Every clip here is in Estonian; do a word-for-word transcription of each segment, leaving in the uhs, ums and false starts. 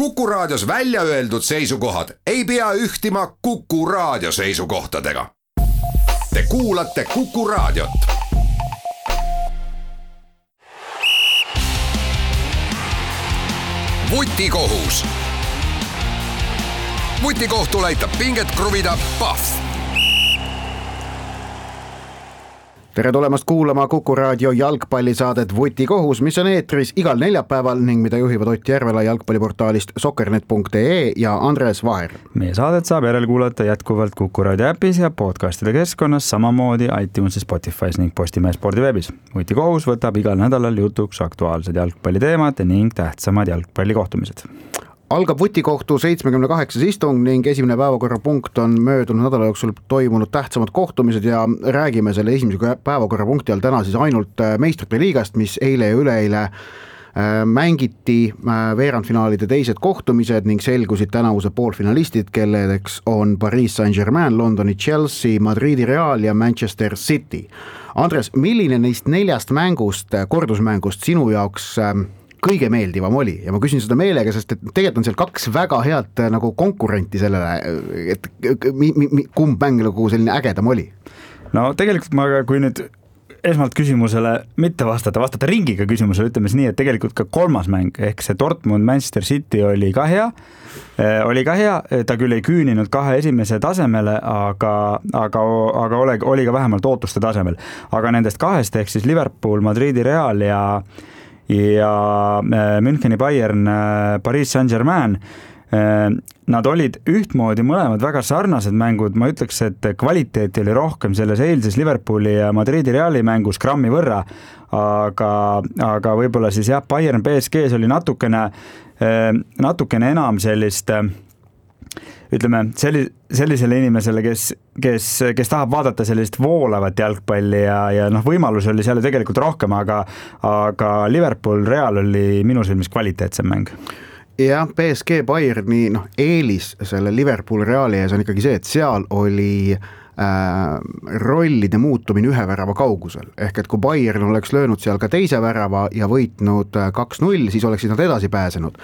Kuku Raadios välja öeldud seisukohad ei pea ühtima Kuku Raadio seisukohtadega. Te kuulate Kuku Raadiot. Vutikohus. Vutikohtul aitab pinget kruvida Pahv. Tere tulemast kuulama Kuku Raadio jalgpallisaadet Vutikohus, mis on eetris igal neljapäeval ning mida juhivad Ott Järvela jalgpalliportaalist soccernet punkt ee ja Andres Vaher. Meie saadet saab järelkuulata jätkuvalt Kuku Raadio äpis ja podcastide keskkonnas, samamoodi iTunesis, Spotifys ning Postimehe spordiveebis. Vutikohus võtab igal nädalal jutuks aktuaalsed jalgpalliteemad ning tähtsamad jalgpallikohtumised. Algab Vutikohtu seitsmekümne kaheksas istung ning esimene päevakorrapunkt on möödunud nädala jooksul toimunud tähtsamad kohtumised ja räägime selle esimese päevakorrapunkti all täna siis ainult meistrite liigast, mis eile ja üleeile mängiti veerandfinaalide teised kohtumised ning selgusid tänavuse poolfinalistid, kelledeks on Paris Saint-Germain, Londoni Chelsea, Madridi Real ja Manchester City. Andres, milline neist neljast mängust, kordusmängust sinu jaoks kõige meeldivam oli? Ja ma küsin seda meelega, sest et tegelikult on seal kaks väga head nagu konkurenti sellele, et mi, mi, kumb mäng nagu selline ägedam oli? No tegelikult ma, kui nüüd esmalt küsimusele mitte vastata, vastata ringiga küsimusele, ütleme nii, et tegelikult ka kolmas mäng, ehk see Dortmund Manchester City oli ka hea, oli ka hea, ta küll ei küüninud kahe esimese tasemele, aga, aga, aga oli, oli ka vähemalt ootuste tasemel. Aga nendest kahest, ehk siis Liverpool, Madridi Real ja ja Müncheni Bayern, Paris Saint-Germain, nad olid ühtmoodi mõlemad väga sarnased mängud, ma ütleks, et kvaliteeti oli rohkem selles eilses Liverpooli ja Madridi Reali mängus grammi võrra, aga, aga võib-olla siis jah, Bayern P S G-s oli natukene, natukene enam sellist, ütleme, sellisele inimesele, kes, kes, kes tahab vaadata sellist voolavat jalgpalli ja, ja noh, võimalus oli seal tegelikult rohkem, aga, aga Liverpool Real oli minu silmis kvaliteetsem mäng. Ja P S G Bayerni noh, eelis selle Liverpool Reali ees on ikkagi see, et seal oli rollide muutumine ühe värava kaugusel. Ehk et kui Bayern oleks löönud seal ka teise värava ja võitnud kaks null, siis oleksid nad edasi pääsenud.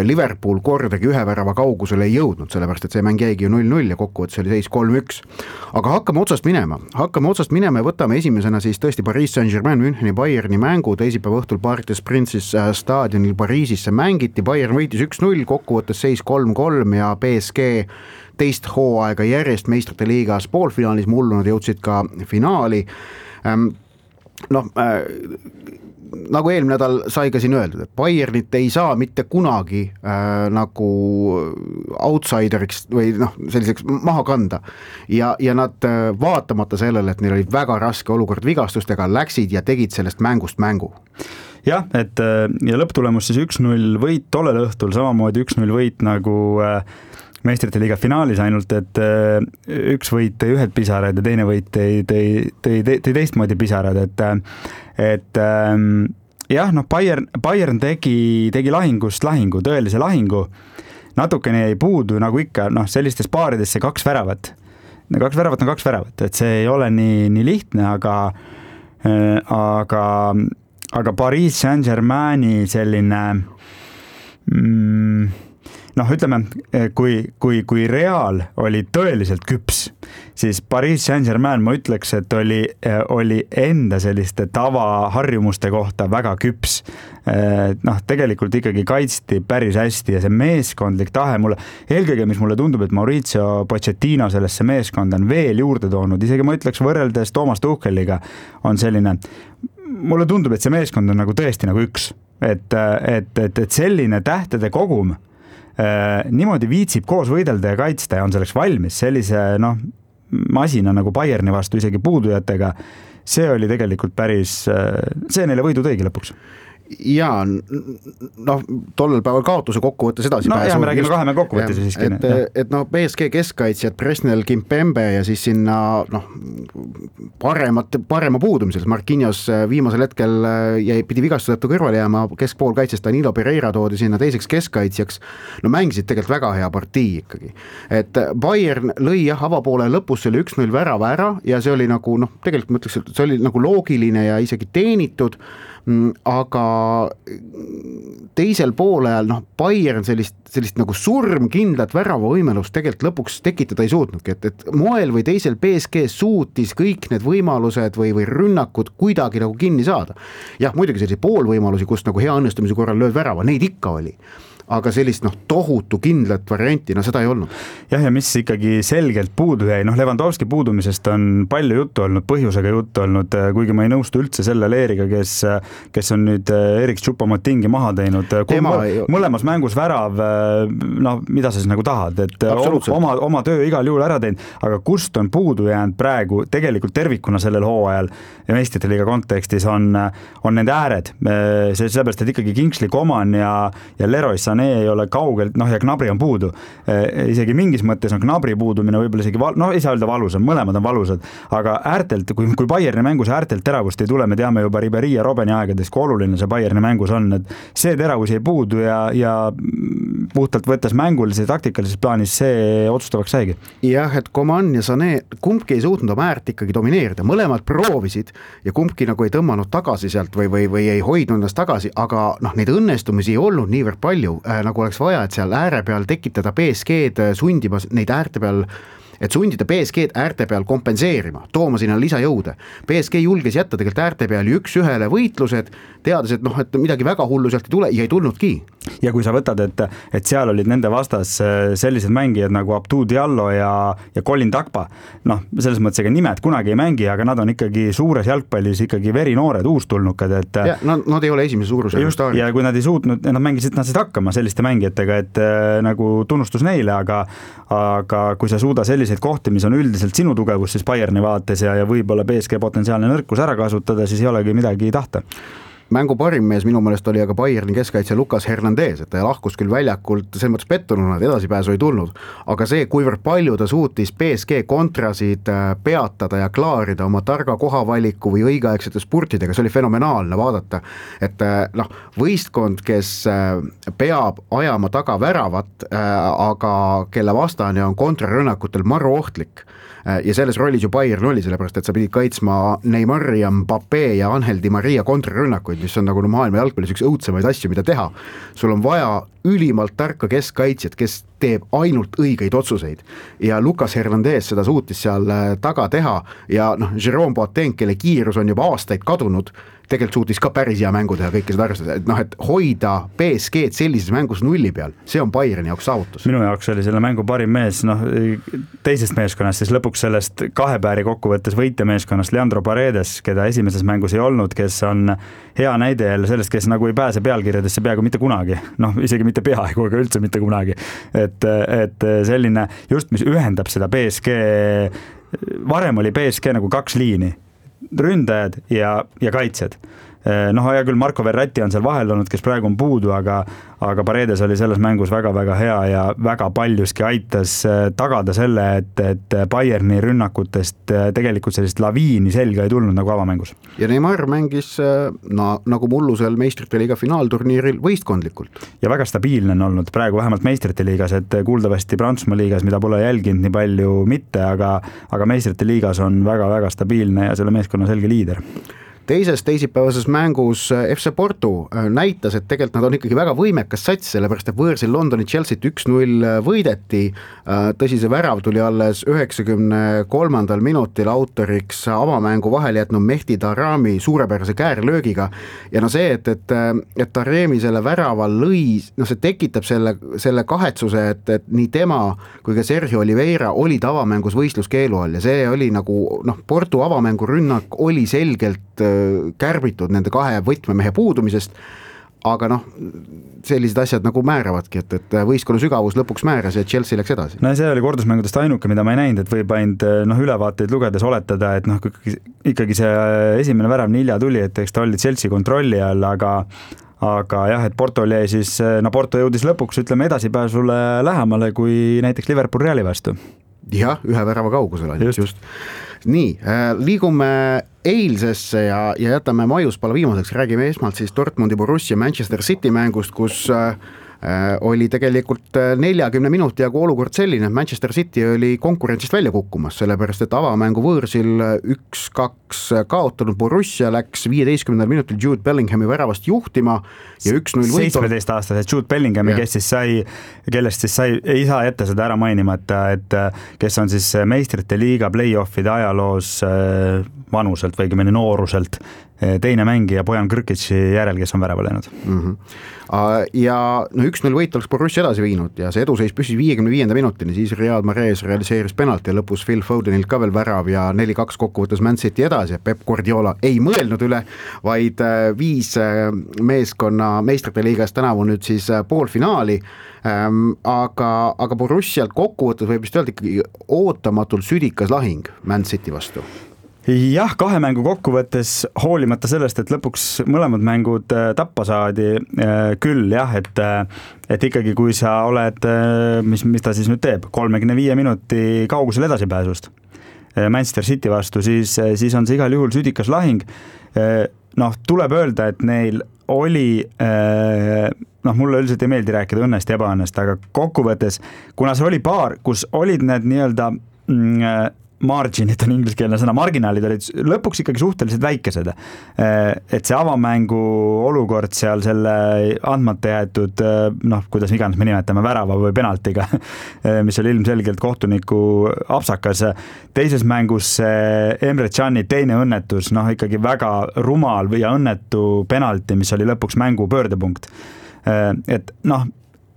Liverpool kordagi ühe värava kaugusel ei jõudnud, sellepärast et see mäng jäigi ju null null ja kokkuvõttes oli seis kolm üks. Aga hakkame otsast minema. Hakkame otsast minema ja võtame esimesena siis tõesti Paris Saint-Germain Müncheni Bayerni mängu. Teisipäeva õhtul Parc des Princes staadionil Pariisisse mängiti. Bayern võitis üks null, kokkuvõttes seis kolm kolm ja P S G teist hooaega järjest meistrite liigas poolfinaalis, mullu nad jõudsid ka finaali. Noh, nagu eelmine nädal sai ka siin öeldud, et Bayernit ei saa mitte kunagi äh, nagu outsideriks või noh, selliseks maha kanda. Ja, ja nad vaatamata sellele, et neil oli väga raske olukord vigastustega, läksid ja tegid sellest mängust mängu. Jah, et ja lõpptulemus siis üks null võit tollel õhtul, samamoodi üks null võit nagu meistrite liiga finaalis, ainult et üks võit tõi ühed pisarad ja teine võit tõi, tõi, tõi, tõi teistmoodi pisarad, et, et jah, noh, Bayern, Bayern tegi, tegi lahingust lahingu, tõelise lahingu, natukene jäi puudu, nagu ikka, noh, sellistes paaridesse kaks väravat. Kaks väravat on kaks väravat, et see ei ole nii, nii lihtne, aga, aga, aga Paris Saint-Germaini selline mm, noh, ütleme, kui, kui, kui Real oli tõeliselt küps, siis Paris Saint-Germain, ma ütleks, et oli, oli enda selliste tavaharjumuste kohta väga küps. Noh, tegelikult ikkagi kaitsti päris hästi ja see meeskondlik tahe mulle, eelkõige, mis mulle tundub, et Mauricio Pochettino sellesse meeskonda on veel juurde toonud, isegi ma ütleks võrreldes Thomas Tucheliga on selline, mulle tundub, et see meeskond on nagu tõesti nagu üks, et, et, et, et selline tähtede kogum Äh, niimoodi viitsib koos võidelda ja kaitsta ja on selleks valmis sellise noh, masina nagu Bayerni vastu isegi puudujatega, see oli tegelikult päris, see neile võidu tõigi lõpuks. Ja noh, tollel päeval kaotuse kokkuvõttes edasi no, pääsu. No jah, me räägime kaheme kokkuvõttes siiski. Et, et noh, P S G keskkaitsjad Presnel Kimpembe ja siis sinna noh, paremat, parema puudumisel. Marquinhos viimasel hetkel jäi, pidi vigastuseta kõrvale jääma, keskpoolkaitsest Danilo Pereira toodi sinna teiseks keskkaitsjaks. No mängisid tegelikult väga hea partii ikkagi. Et Bayern lõi jah, avapoole lõpus selle üks null värava ära ja see oli nagu noh, tegelikult ma ütleks, et see oli nagu loogiline ja isegi teenitud, aga teisel poolel noh, Bayern sellist, sellist nagu surmkindlat väravavõimelust tegelikult lõpuks tekitada ei suutnudki, et, et moel või teisel P S G suutis kõik need võimalused või, või rünnakud kuidagi nagu kinni saada. Jah, muidugi selliseid poolvõimalusi, kus nagu hea õnnestumise korral lööd värava, neid ikka oli. Aga sellist noh, tohutu kindlat varianti, no seda ei olnud. Jah, ja mis ikkagi selgelt puudu jäi, noh Lewandowski puudumisest on palju juttu olnud, põhjusega juttu olnud, kuigi ma ei nõustu üldse selle Leeriga, kes, kes on nüüd Erik Choupo-Motingi maha teinud. Tema... Mõlemas mängus värav, noh mida sa siis nagu tahad, et oma, oma töö igal juhul ära teinud, aga kust on puudu jäänud praegu tegelikult tervikuna sellel hooajal ja meistrite liiga kontekstis on, on nende ääred. See sellepärast, et ikkagi Kingsley Coman ja, ja Leroy Sané ei ole kaugelt, noh ja Gnabry on puudu. Isegi mingis mõttes on Gnabry puudumine võib-olla isegi, val... noh ei saa öelda valusad, mõlemad on valusad, aga äärtelt, kui, kui Bayerni mängus äärtelt teravust ei tule, me teame juba Ribéry ja Robeni aegades, kui oluline see Bayerni mängus on, et see teravus ei puudu ja, ja puhtalt võttes mängulise taktikalises plaanis see otsustavaks saigi. Jah, et Coman ja Sané, kumbki ei suutnud oma äärt ikkagi domineerida, mõlemad proovisid ja kumbki nagu ei tõmmanud tagasi sealt või, või, või ei hoidnud ennast tagasi, aga noh, neid õnnestumisi ei olnud niivõrd palju, nagu oleks vaja, et seal ääre peal tekitada P S G-d sundima neid äärte peal, et sundida P S G-d äärte peal kompenseerima, tooma sinna lisajõude. P S G julges jätta tegelikult äärte peal üks ühele võitlused, teades, et noh, et midagi väga hullu sealt ei tule ja ei tulnudki. Ja kui sa võtad, et, et seal olid nende vastas sellised mängijad nagu Abdou Diallo ja, ja Colin Takpa, noh, selles mõttes ega nimed kunagi ei mängi, aga nad on ikkagi suures jalgpallis ikkagi verinoored uustulnukad, et ja, nad, nad ei ole esimese suuruse just, ja kui nad ei suutnud, nad mängisid, nad said hakkama selliste mängijatega, et nagu tunnustus neile, aga, aga kui sa suuda selliseid kohti, mis on üldiselt sinu tugevus siis Bayerni vaates ja, ja võib-olla P S G potentsiaalne nõrkus ära kasutada, siis ei olegi midagi tahta. Mängu parim mees minu meelest oli aga Bayerni keskkaitse Lucas Hernandez, et ta lahkus küll väljakult, selles mõttes pettununa, et edasipääsu ei tulnud, aga see, kuivõrd palju ta suutis P S G kontrasid peatada ja klaarida oma targa kohavaliku või õigeaegsete spurtidega, see oli fenomenaalne vaadata, et noh, võistkond, kes peab ajama taga väravat, aga kelle vastane on kontrarünnakutel maru ohtlik, ja selles rollis ju Bayern oli, sellepärast, et sa pidid kaitsma Neymar ja Mbappé ja Angel Di Maria kontrarünnakuid, mis on nagu maailma jalgpallis üks õudsemaid asju, mida teha. Sul on vaja ülimalt tarka keskkaitsjat, kes teeb ainult õigeid otsuseid ja Lucas Hernandez seda suutis seal taga teha ja noh, Jérôme Boateng, kelle kiirus on juba aastaid kadunud, tegelikult suutis ka päris hea mängu teha, kõike seda arvestada, et noh, et hoida P S G-d sellises mängus nulli peal, see on Bayerni jaoks saavutus. Minu jaoks oli selle mängu parim mees, noh, teisest meeskonnast, siis lõpuks sellest kahe pääri kokkuvõttes võitja meeskonnast Leandro Paredes, keda esimeses mängus ei olnud, kes on hea näide jälle sellest, kes nagu ei pääse pealkirjadesse peaaegu mitte kunagi, noh, isegi mitte peaaegu, aga üldse mitte kunagi, et, et selline just, mis ühendab seda P S G, varem oli P S G nagu kaks liini, ründajad ja, ja kaitsjad. Noh, ja küll Marko Verratti on seal vahel olnud, kes praegu on puudu, aga, aga Paredes oli selles mängus väga-väga hea ja väga paljuski aitas tagada selle, et, et Bayerni rünnakutest tegelikult sellist laviini selga ei tulnud nagu avamängus. Ja Neymar mängis na, nagu mullusel meistrite liiga finaalturniiril võistkondlikult. Ja väga stabiilne on olnud praegu vähemalt meistrite liigas, et kuuldavasti Prantsusmaa liigas, mida pole jälginud nii palju mitte, aga, aga meistrite liigas on väga-väga stabiilne ja selle meeskonna selge liider. Teises teisipäevases mängus F C Porto näitas, et tegelikult nad on ikkagi väga võimekas sats, sellepärast et võõrsil Londoni Chelsea't üks null võideti, tõsi see värav tuli alles üheksakümne kolmandal minutil autoriks avamängu vahel jätnud Mehdi Tarami suurepärase käärlöögiga ja no see, et, et, et Taremi selle värava lõi, no see tekitab selle, selle kahetsuse, et, et nii tema kui ka Sergio Oliveira olid avamängus võistluskeelu all ja see oli nagu, noh, Porto avamängu rünnak oli selgelt kärbitud nende kahe võtmemehe puudumisest, aga noh, sellised asjad nagu määravadki, et, et võistkonna sügavus lõpuks määras ja Chelsea läks edasi. No see oli kordusmängudest ainuke, mida ma ei näinud, et võib ainult noh, ülevaateid lugedes oletada, et noh, ikkagi see esimene värav nii hilja tuli, et eks ta oli Chelsea kontrolli all, aga aga jah, et Porto oli siis, no Porto jõudis lõpuks, ütleme edasipääsule lähemale kui näiteks Liverpool Reali vastu. Jah, ühe värava kaugusel ainult, just. just. Nii, liigume eilsesse ja, ja jätame maiuspala viimaseks, räägime esmalt siis Dortmundi Borussia Manchester City mängust, kus oli tegelikult neljakümne minuti jagu olukord selline, et Manchester City oli konkurentsist välja kukkumas, sellepärast et avamängu võõrsil üks kaks kaotanud Borussia läks viieteistkümnendal minutil Jude Bellinghami väravast juhtima ja üks null võit. seitsmeteist aastased Jude Bellinghami, kes siis sai, kellest siis sai, ei saa jätta seda ära mainimata, et kes on siis meistrite liiga play-offide ajaloos vanuselt või mõni nooruselt teine mängija Bojan Krkići järel, kes on värava läinud. Mm-hmm. Ja no üks null võit oleks Borussia edasi viinud ja see eduseis püsis viiekümne viienda minutini, siis Riyad Mahrez realiseeris penalti ja lõpus Phil Fodenilt ka veel värav ja neli kaks kokkuvõttes Man City edasi. Pep Guardiola ei mõelnud üle, vaid viis meeskonna meistrite liigas tänavu nüüd siis poolfinaali, aga, aga Borussialt kokkuvõttes võib vist öelda ikkagi ootamatult südikas lahing Man City vastu. Jah, kahe mängu kokkuvõttes hoolimata sellest, et lõpuks mõlemad mängud tappa saadi küll, jah, et, et ikkagi kui sa oled, mis, mis ta siis nüüd teeb, kolmekümne viie minuti kaugusel edasipääsust Manchester City vastu, siis, siis on see igal juhul südikas lahing. Noh, tuleb öelda, et neil oli, noh, mulle üldiselt ei meeldi rääkida õnnest ja ebaõnnest, aga kokkuvõttes, kuna see oli paar, kus olid need nii-öelda mm, marginid on ingliskeelne sõna, marginaalid olid lõpuks ikkagi suhteliselt väikesed. Et see avamängu olukord seal selle andmata jäetud, noh, kuidas iganes me nimetame värava või penaltiga, mis oli ilmselgelt kohtuniku apsakas. Teises mängus Emre Can'i teine õnnetus, noh, ikkagi väga rumal ja õnnetu penalti, mis oli lõpuks mängu pöördepunkt. Et noh,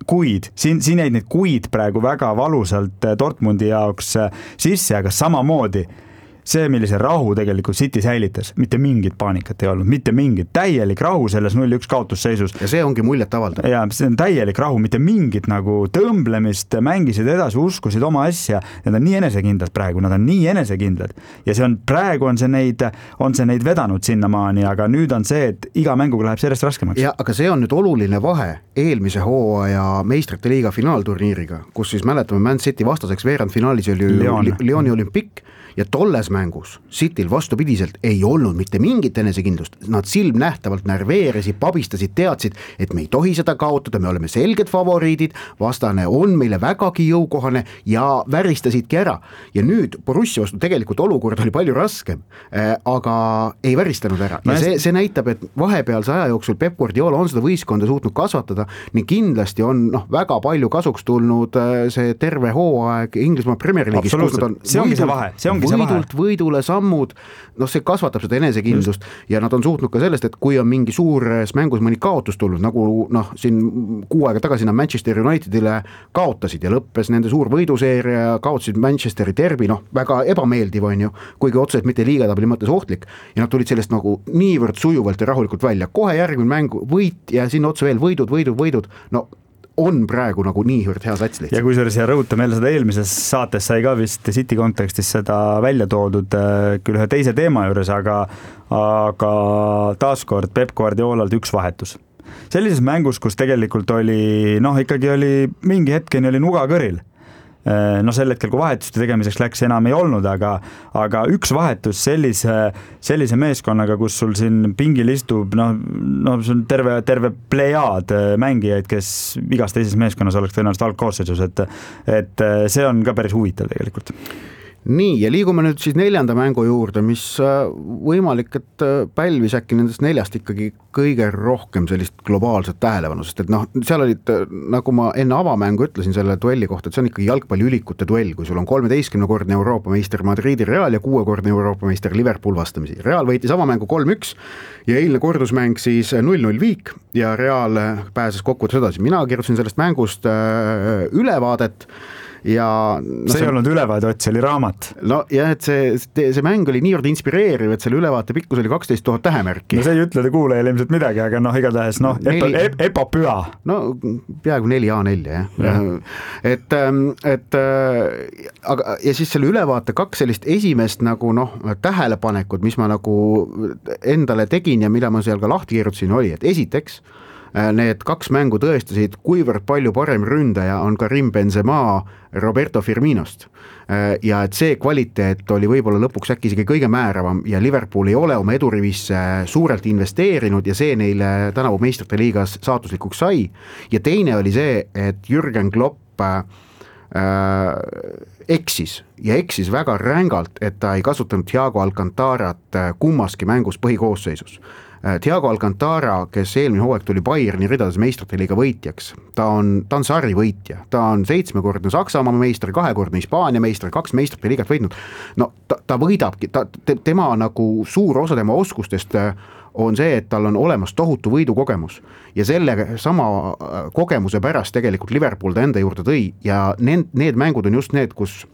kuid, siin, siin jäid need kuid praegu väga valusalt Dortmundi jaoks sisse, aga samamoodi see, millise rahu tegelikult City säilitas, mitte mingit paanikat ei olnud, mitte mingit, täielik rahu selles null üks kaotusseisus. Ja see ongi muljet avaldav. Ja see on täielik rahu, mitte mingit nagu tõmblemist, mängisid edasi, uskusid oma asja, nad on nii enesekindlad praegu, nad on nii enesekindlad. Ja see on, praegu on see neid, on see neid vedanud sinnamaani, aga nüüd on see, et iga mänguga läheb sellest raskemaks. Ja, aga see on nüüd oluline vahe eelmise hooaja meistrite liiga finaalturniiriga, kus siis mäletame Man City vastaseks veerandfinaalis oli Leon. Leoni Olympic ja tolles mängus Cityl vastupidiselt ei olnud mitte mingit enesekindlust. Nad silmnähtavalt närveerisid, pabistasid, teadsid, et me ei tohi seda kaotada, me oleme selged favoriidid, vastane on meile vägagi jõukohane ja väristasidki ära. Ja nüüd Borussia vastu tegelikult olukord oli palju raskem, aga ei väristanud ära. Ja see, see näitab, et vahepealse aja jooksul Pep Guardiola on seda võistkonda suutnud kasvatada, nii kindlasti on noh, väga palju kasuks tulnud see terve hooaeg Inglismaa Premier League'is. See ongi see vahe, see ongi võidult võidule sammud, noh see kasvatab seda enesekindlust Just. Ja nad on suutnud ka sellest, et kui on mingi suures mängus mõni kaotus tulnud, nagu noh, siin kuu aega tagasi nad Manchester Unitedile kaotasid ja lõppes nende suur võiduseeria, kaotasid Manchesteri derbi, noh väga ebameeldiv on ju, kuigi otseselt mitte liigatabeli mõttes ohtlik ja nad tulid sellest nagu niivõrd sujuvalt ja rahulikult välja, kohe järgmine mäng võit ja sinna otsa veel võidud, võidud, võidud, no on praegu nagu niivõrd hea sats lihtsalt. Ja kui see siia rõhuta meile seda eelmises saates sai ka vist City kontekstis seda välja toodud küll ühe teise teema juures, aga, aga taaskord Pep Guardiolalt üks vahetus. Sellises mängus, kus tegelikult oli, noh ikkagi oli mingi hetkeni oli nuga kõril. No sel hetkel, kui vahetuste tegemiseks läks, enam ei olnud, aga, aga üks vahetus sellise, sellise meeskonnaga, kus sul siin pingil istub, noh, no, see on terve, terve plejaad mängijaid, kes igas teises meeskonnas oleks tõenäoliselt algkoosseisus, et, et see on ka päris huvitav tegelikult. Nii, ja liigume nüüd siis neljanda mängu juurde, mis võimalik, et pälvis äkki nendest neljast ikkagi kõige rohkem sellist globaalset tähelepanu, sest et noh, seal olid, nagu ma enne avamängu ütlesin selle duelli kohta, et see on ikkagi jalgpalliülikute duell, kui sul on kolmeteistkümnekordne Euroopa meister Madridi Real ja kuuekordne Euroopa meister Liverpool vastamisi. Real võitis avamängu kolm üks ja eilne kordusmäng siis null null viik ja Real pääses kokkuvõttes edasi. Mina kirjutasin sellest mängust ülevaadet ja no, see ei olnud ülevaade, Ott, see oli raamat. No jah, et see, see mäng oli niivõrd inspireeriv, et selle ülevaate pikkus oli kaksteist tuhat tähemärki. No see ei ütle te kuulajale ilmselt midagi, aga noh, igatahes noh, epopüha. No peaaegu neli A nelja, jah. Ja. Et, et aga, ja siis selle ülevaate kaks sellist esimest nagu noh, tähelepanekud, mis ma nagu endale tegin ja mida ma seal ka lahti kirjutasin, oli, et esiteks need kaks mängu tõestasid, kuivõrd palju parem ründaja on Karim Benzema Roberto Firminost. Ja et see kvaliteet oli võib-olla lõpuks äkki isegi kõige määravam ja Liverpool ei ole oma edurivisse suurelt investeerinud ja see neile tänavu meistrite liigas saatuslikuks sai. Ja teine oli see, et Jürgen Klopp äh, eksis ja eksis väga rängalt, et ta ei kasutanud Thiago Alcantarat kummaski mängus põhikoosseisus. Thiago Alcantara, kes eelmine hooaeg tuli Bayerni ridades meistrite liiga võitjaks, ta on, ta on sari võitja, ta on seitsmekordne Saksamaa meister, kahekordne Hispaania meister, kaks meistrite liigat võitnud, no ta, ta võidabki, ta, tema nagu suur osa tema oskustest on see, et tal on olemas tohutu võidukogemus ja selle sama kogemuse pärast tegelikult Liverpool ta enda juurde tõi ja need, need mängud on just need, kus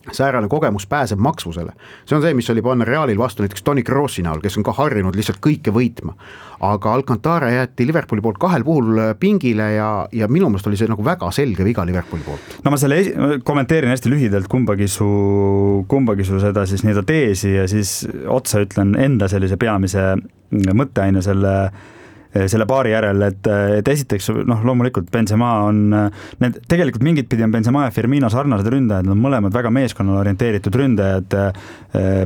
säärane kogemus pääseb maksvusele. See on see, mis oli panna Realil vastu näiteks Toni Krossi näol, kes on ka harjunud lihtsalt kõike võitma. Aga Alcantara jäeti Liverpooli poolt kahel puhul pingile ja, ja minu meelest oli see nagu väga selge viga Liverpooli poolt. No ma selle esi- kommenteerin hästi lühidalt kumbagi su, kumbagi su seda siis nii-öelda teesi ja siis otsa ütlen enda sellise peamise mõtteaine selle selle paari järel, et, et esiteks noh, loomulikult Benzema on need, tegelikult mingit pidi on Benzema ja Firmino sarnased ründajad, nad on mõlemad väga meeskonnale orienteeritud ründajad.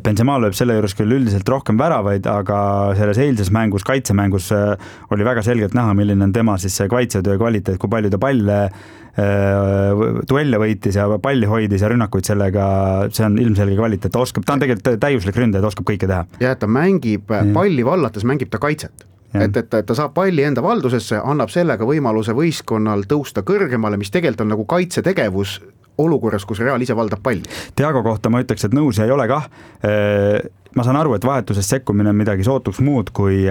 Benzema lööb selle juures küll üldiselt rohkem väravaid, aga selles eilses mängus, kaitsemängus oli väga selgelt näha, milline on tema siis see kaitsetöö kvaliteet, kui palju ta palle duelle võitis ja palli hoidis ja rünnakuid sellega, see on ilmselge kvaliteet, ta oskab, ta on tegelikult täiuslik ründaja, ta oskab kõike teha. Ja ta mängib palli vallates, mängib ta kaitset. Et, et ta saab palli enda valdusesse, annab sellega võimaluse võistkonnal tõusta kõrgemale, mis tegelikult on nagu kaitsetegevus olukorras, kus Real ise valdab palli. Thiago kohta ma ütleks, et nõus ei ole kah. Ma saan aru, et vahetusest sekkumine on midagi sootuks muud kui,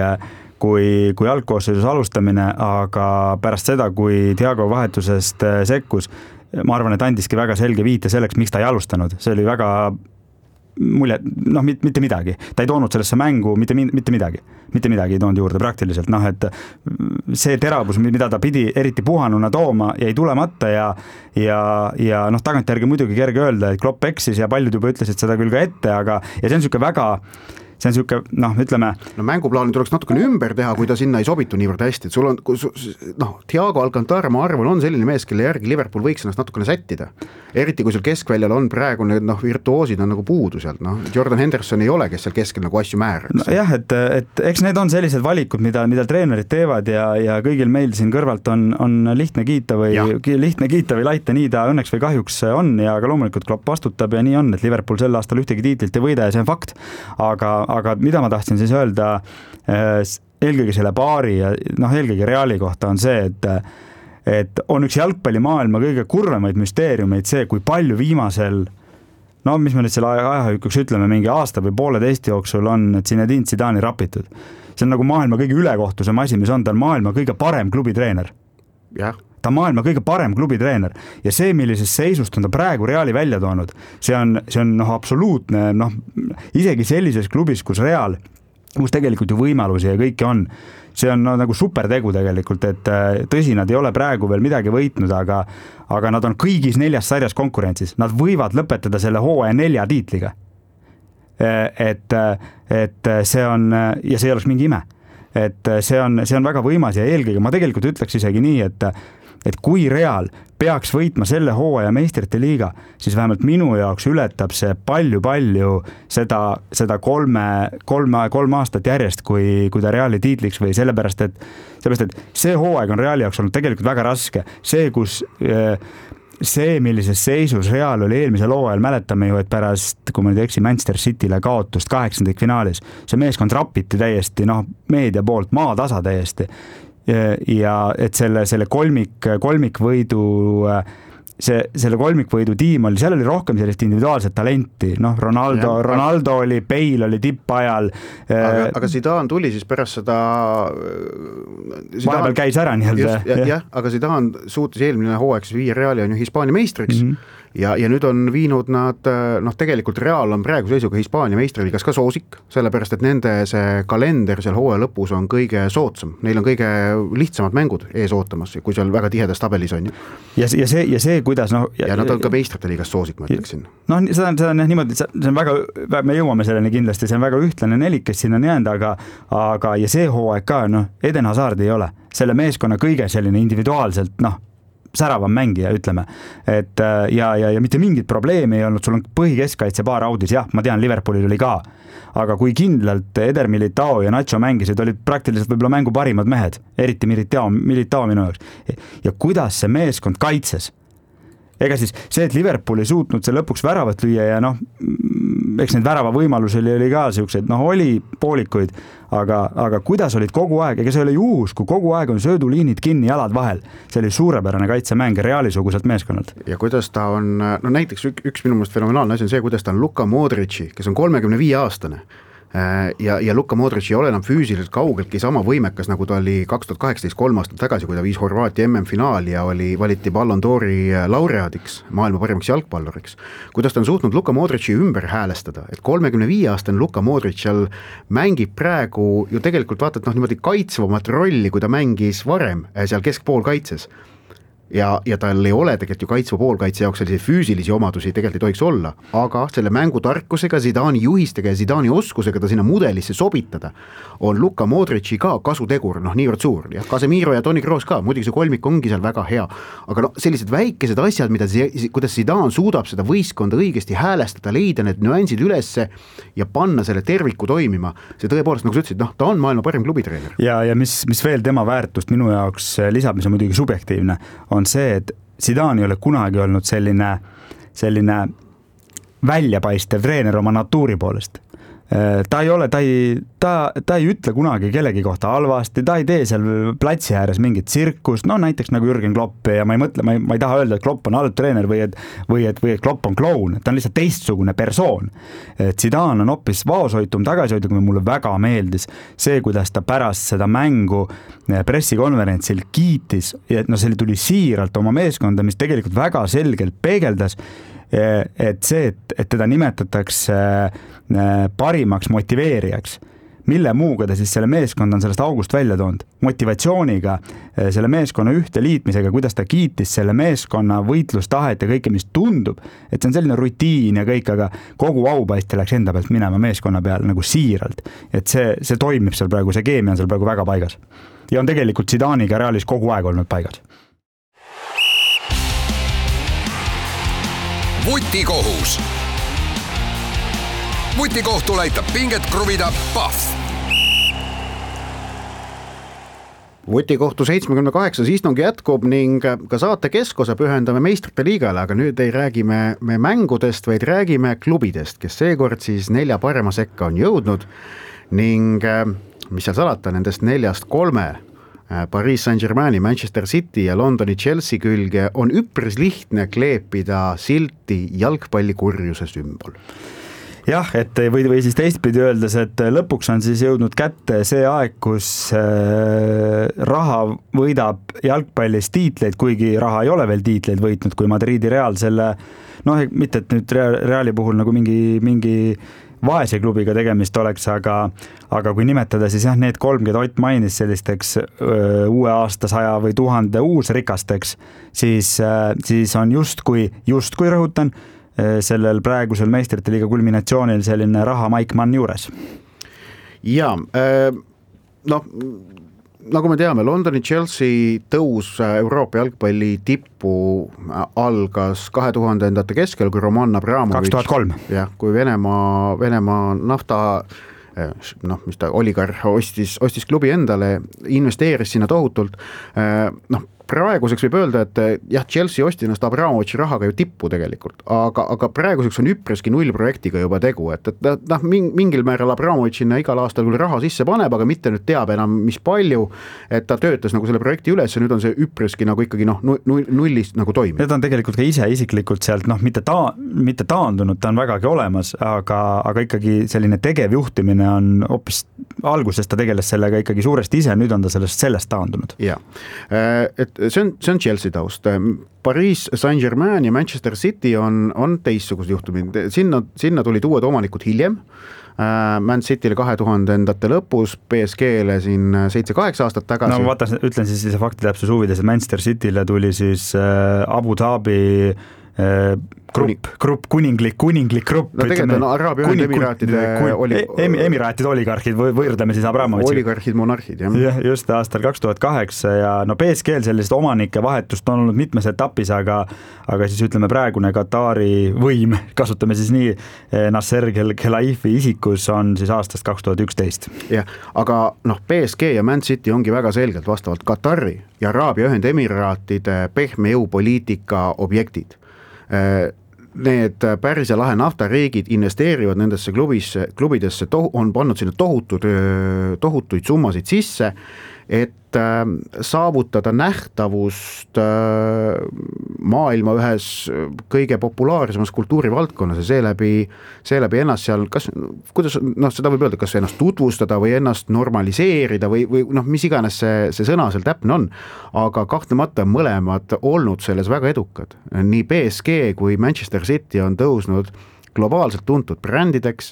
kui, kui algkoosseisus alustamine, aga pärast seda, kui Thiago vahetusest sekkus, ma arvan, et andiski väga selge viite selleks, miks ta ei alustanud. See oli väga mulje, noh, mitte midagi. Ta ei toonud sellesse mängu mitte, mitte midagi. Mitte midagi ei toonud juurde praktiliselt. Noh, et see teravus, mida ta pidi eriti puhanuna tooma, jäi tulemata ja, ja, ja noh, tagantjärgi muidugi kerge öelda, et Klopp eksis ja paljud juba ütlesid seda küll ka ette, aga ja see on niisugune väga see on siuke, noh, ütleme no mänguplaani tuleks natukene ümber teha, kui ta sinna ei sobitu niivõrd hästi, et sul on noh, Thiago Alcantara, ma arvan, on selline mees, kelle järgi Liverpool võiks ennast natukene sättida. Eriti kui sul keskväljal on praegu need noh, virtuoosid on nagu puudu sealt, noh, Jordan Henderson ei ole, kes seal keskel nagu asju määraks. No, jah, et, et eks need on sellised valikud, mida, mida treenerid teevad ja, ja kõigil meil siin kõrvalt on, on lihtne kiita või ja. lihtne kiita või laita, nii ta õnneks või kahjuks on ja ka loomulikult Klopp vastutab ja nii on, et Liverpool sel aastal ühtegi tiitlit ei võida ja see on fakt. Aga, aga mida ma tahtsin siis öelda eelkõige selle paari ja noh, eelkõige Reali kohta on see, et et on üks jalgpallimaailma kõige kurvemaid müsteeriumeid see, kui palju viimasel, no mis me nüüd selle ajahükuks ütleme, mingi aasta või pooleteist jooksul on Zinedine Zidane rapitud. See on nagu maailma kõige ülekohtusem asi, mis on, ta on maailma kõige parem klubitreener. Jah. Ta on maailma kõige parem klubitreener ja see, millisest seisust on ta praegu Reali välja toonud, see on, see on noh, absoluutne, noh, isegi sellises klubis, kus Real, kus tegelikult ju võimalusi ja kõike on, see on no, nagu supertegu tegelikult, et tõsi, nad ei ole praegu veel midagi võitnud, aga, aga nad on kõigis neljas sarjas konkurentsis, nad võivad lõpetada selle hooaja nelja tiitliga. Et, et see on, ja see ei oleks mingi ime, et see on, see on väga võimas ja eelkõige ma tegelikult ütleks isegi nii, et et kui Real peaks võitma selle hooaja meistrite liiga, siis vähemalt minu jaoks ületab see palju-palju seda, seda kolme, kolme, kolm aastat järjest, kui, kui ta Reali tiitliks või sellepärast, et, sellepärast, et see hooaeg on Reali jaoks olnud tegelikult väga raske. See, kus see, millises seisus Real oli eelmisel hooajal, mäletame ju, et pärast, kui ma nüüd eksi, Manchester Cityle kaotust kaheksandik finaalis, see meeskond rapiti täiesti, noh, meedia poolt maatasa täiesti. Ja et selle, selle kolmik, kolmikvõidu, see, selle kolmikvõidu tiim oli, seal oli rohkem sellist individuaalset talenti, noh, Ronaldo, ja, Ronaldo aga, oli, Bale oli tippajal. Aga, aga Zidane tuli siis pärast seda vahepeal käis ära nii-öelda. Jah, ja, aga Zidane suutis eelmine hooaeg viia Reali on ju Hispaania meistriks. Mm-hmm. ja, ja nüüd on viinud nad, noh tegelikult Real on praegu seisuga Hispaania meistriliigas ka soosik, sellepärast et nende see kalender seal hooaja lõpus on kõige soodsam, neil on kõige lihtsamad mängud ees ootamas, kui seal väga tihedas tabelis on. ja, ja see, ja see, kuidas noh ja, ja nad on ka meistrite liigas soosik, ma ütleksin. No seda on, seda on niimoodi, see on väga, me jõuame selleni kindlasti, see on väga ühtlane nelik, kes siin on jäänud, aga, aga ja see hooaeg ka, noh, Eden Hazard ei ole selle meeskonna kõige selline individuaalselt, noh, säravam mängija, ütleme, et ja, ja, ja mitte mingit probleemi ei olnud, sul on põhikeskkaitse paar audis, jah, ma tean, Liverpoolil oli ka, aga kui kindlalt Eder Militao ja Nacho mängisid, olid praktiliselt võib-olla mängu parimad mehed, eriti Militao, Militao minu jaoks. Ja kuidas see meeskond kaitses? Ega siis see, et Liverpool ei suutnud see lõpuks väravat lüüa ja noh, eks need värava võimalusi oli, oli ka siuksed, noh, oli poolikuid, aga, aga kuidas olid kogu aeg, ega see oli juhus, kui kogu aeg on sööduliinid kinni jalad vahel, see oli suurepärane kaitsemäng Reaalisuguselt meeskonnalt. Ja kuidas ta on, no näiteks üks, üks minu meelest fenomenaalne asi on see, kuidas ta on Luka Modrici, kes on kolmekümne viie aastane, ja, ja Luka Modric ei ole enam füüsiliselt kaugeltki sama võimekas, nagu ta oli kaks tuhat kaheksateist kolm aastat tagasi, kui ta viis Horvaatia M M-finaali ja oli, valiti Ballon d'Ori laureaadiks, maailma parimaks jalgpalluriks. Kuidas ta on suutnud Luka Modrici ümber häälestada, et kolmekümne viie aastane Luka Modric seal mängib praegu ju tegelikult vaatad noh, niimoodi kaitsvamat rolli, kui ta mängis varem seal keskpool kaitses. Ja, ja tal ei ole tegelikult ju kaitsva poolkaitse jaoks sellise füüsilisi omadusi tegelikult ei tohiks olla, aga selle mängutarkusega, Zidani juhistega ja Zidani oskusega ta sinna mudelisse sobitada on Luka Modrici ka kasutegur, noh niivõrd suur, ja Casemiro ja Toni Kroos ka, muidugi see kolmik ongi seal väga hea, aga no sellised väikesed asjad, mida, kuidas Zidane suudab seda võistkonda õigesti häälestada, leida need nüansid ülesse ja panna selle terviku toimima, see tõepoolest, nagu sa ütlesid, noh, ta on maailma parim klubitreener. Ja, ja mis, mis veel tema väärtust minu jaoks lisab, mis on muidugi subjektiivne, on see, et Zidane ei ole kunagi olnud selline, selline väljapaistev treener oma natuuri poolest. Ta ei ole, ta ei, ta, ta ei ütle kunagi kellegi kohta halvasti, ta ei tee seal platsi ääres mingit tsirkust, no näiteks nagu Jürgen Klopp ja ma ei mõtle, ma ei, ma ei taha öelda, et Klopp on halb treener või et, või et, või et Klopp on kloun, ta on lihtsalt teistsugune persoon. Zidane on hoopis vaoshoitum, tagasihoitum ja mulle väga meeldis see, kuidas ta pärast seda mängu pressikonverentsil kiitis, et no see tuli siiralt oma meeskonda, mis tegelikult väga selgelt peegeldas, et see, et, et teda nimetatakse parimaks motiveerijaks, mille muuga ta siis selle meeskond on sellest august välja toonud, motivatsiooniga, selle meeskonna ühte liitmisega, kuidas ta kiitis selle meeskonna võitlustahet ja kõike, mis tundub, et see on selline rutiin ja kõik, aga kogu aupaiste läks enda pealt minema meeskonna peal nagu siiralt, et see, see toimib seal praegu, see keemia on seal praegu väga paigas ja on tegelikult Zidaniga Realis kogu aeg olnud paigas. Vutikohus. Vutikohtul aitab pinget kruvida Pahv. Vutikohtu seitsmekümne kaheksas istungi jätkub ning ka saate keskosa pühendame meistrite liigale, aga nüüd ei räägime me mängudest, vaid räägime klubidest, kes seekord siis nelja parema sekka on jõudnud ning mis seal salata, nendest neljast kolme Paris Saint-Germaini, Manchester City ja Londoni Chelsea külge on üpris lihtne kleepida silti jalgpallikurjuse sümbol. Jah, et või, või siis teistpidi öeldes, et lõpuks on siis jõudnud kätte see aeg, kus raha võidab jalgpallis tiitleid, kuigi raha ei ole veel tiitleid võitnud, kui Madridi Real selle, noh, mitte et nüüd Reali puhul nagu mingi, mingi vaese klubiga tegemist oleks, aga, aga kui nimetada, siis jah, need kolm, keda Ott mainis sellisteks öö, uue aasta saja või tuhande uusrikasteks, siis, siis on justkui, justkui rõhutan, sellel praegusel meistrite liiga kulminatsioonil selline raha Mike Mann juures. Ja, noh, nagu me teame, Londoni Chelsea tõus Euroopa jalgpalli tippu algas kahe tuhandendate keskel, kui Roman Abramovich, kaks tuhat kolm. jah, kui Venemaa, Venemaa nafta, noh, mis ta oligarh ostis, ostis klubi endale, investeeris sinna tohutult, noh, praeguseks võib öelda, et jah, Chelsea osti ennast Abramovichi rahaga ju tippu tegelikult, aga, aga praeguseks on üpreski null projektiga juba tegu, et, et noh, mingil määral Abramovich sinna igal aastal küll raha sisse paneb, aga mitte nüüd teab enam, mis palju, et ta töötas nagu selle projekti üles ja nüüd on see üpreski nagu ikkagi noh, nullist nagu toimib. Need on tegelikult ka ise isiklikult sealt, noh, mitte, ta, mitte taandunud, ta on vägagi olemas, aga, aga ikkagi selline tegevjuhtimine on hoopis algusest ta tegeles sellega ikkagi suuresti ise, nüüd on ta sellest, sellest taandunud. Ja, et see on, see on Chelsea taust. Paris Saint-Germain ja Manchester City on, on teistsugused juhtumid, sinna, sinna tulid uued omanikud hiljem. Man City'le kahe tuhandendate lõpus, P S G-le siin seitse-kaheksa aastat tagasi. No ma vaatan, ütlen siis see fakti täpsus huvides, et Manchester City'le tuli siis Abu Dhabi grupp, grupp, kuninglik, kuninglik grupp. No tegelikult on Araabia Ühendemiraatide oli... Emiraatide oligarhid, võrdleme siis Abramovitši. Oligarhid, monarhid, jah. jah. Just aastal kaks tuhat kaheksa ja no P S G-l sellist omanike vahetust on olnud mitmes etapis, aga, aga siis ütleme praegune Katari võim, kasutame siis nii, Nasser Khelaifi isikus on siis aastast kaks tuhat üksteist. jah, aga noh, P S G ja Man City ongi väga selgelt vastavalt Katari ja Araabia Ühendemiraatide pehme jõupoliitika objektid. Need Päris ja Lahe naftariigid investeerivad nendesse klubisse, klubidesse, on pannud sinna tohutud, tohutuid summasid sisse, et saavutada nähtavust maailma ühes kõige populaarsemas kultuurivaldkonnas ja seeläbi, seeläbi ennast seal, kas, kuidas, noh, seda võib öelda, kas ennast tutvustada või ennast normaliseerida või, või noh, mis iganes see, see sõna seal täpne on, aga kahtlemata mõlemad olnud selles väga edukad. Nii P S G kui Manchester City on tõusnud globaalselt tuntud brändideks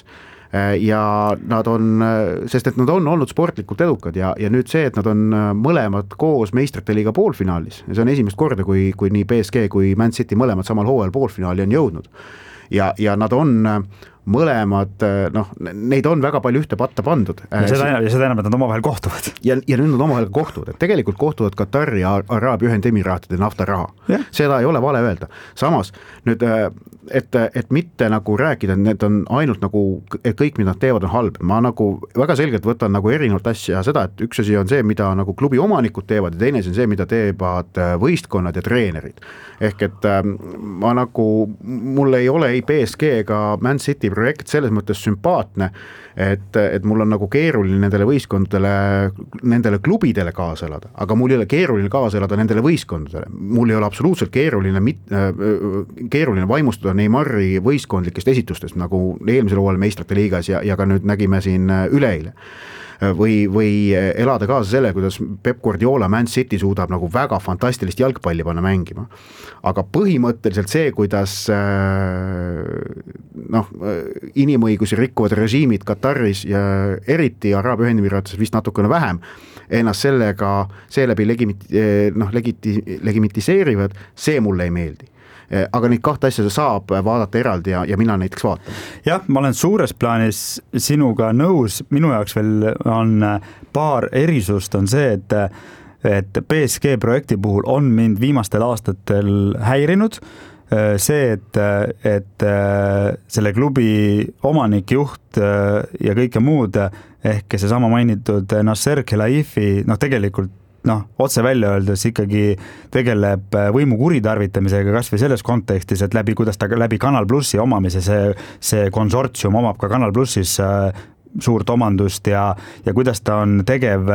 ja nad on, sest et nad on olnud sportlikult edukad ja, ja nüüd see, et nad on mõlemad koos meistrite liiga poolfinaalis ja see on esimest korda, kui, kui nii P S G kui Man City mõlemad samal hooajal poolfinaali on jõudnud ja, ja nad on mõlemad, noh, neid on väga palju ühte patta pandud. Ja seda, ja seda enam, et nad omavahel kohtuvad. Ja, ja nüüd nad omavahel kohtuvad, et tegelikult kohtuvad Katari ja Araabia Ühendemiraatide naftaraha. Yeah. Seda ei ole vale öelda. Samas, nüüd, et, et mitte nagu rääkida, et need on ainult nagu, et kõik, mida nad teevad, on halb. Ma nagu väga selgelt võtan nagu erinevalt asja seda, et üks asi on see, mida nagu klubi omanikud teevad ja teine on see, mida teevad võistkonnad ja treenerid. Ehk et ma nagu, mul ei ole ei P S G ega Man City projekt selles mõttes sümpaatne, et, et mul on nagu keeruline nendele võistkondadele, nendele klubidele kaasa elada, aga mul ei ole keeruline kaasa elada nendele võistkondadele. Mul ei ole absoluutselt keeruline, keeruline vaimustada Neymari võistkondlikest esitustest, nagu eelmisel hooajal meistrite liigas ja, ja ka nüüd nägime siin üleeile. Või, või elada kaasa selle, kuidas Pep Guardiola Man City suudab nagu väga fantastilist jalgpalli panna mängima. Aga põhimõtteliselt see, kuidas noh, inimõigusi rikkuvad režiimid Kataris ja eriti Araabia Ühendemiraatides vist natukene vähem, ennast sellega, seeläbi legimit, noh, legiti, legimitiseerivad, see mulle ei meeldi. Aga neid kahte asja saab vaadata eraldi ja, ja mina näiteks vaatan. Jah, ma olen suures plaanis sinuga nõus, minu jaoks veel on paar erisust on see, et, et P S G projekti puhul on mind viimastel aastatel häirinud see, et, et selle klubi omanik, juht ja kõike muud ehk see sama mainitud Nasser Khelaifi, noh tegelikult noh, otse välja öeldes ikkagi tegeleb võimu kuritarvitamisega kas või selles kontekstis, et läbi, kuidas ta läbi Kanal Plussi omamise, see, see konsortsium omab ka Kanal Plussis suurt omandust ja, ja kuidas ta on tegev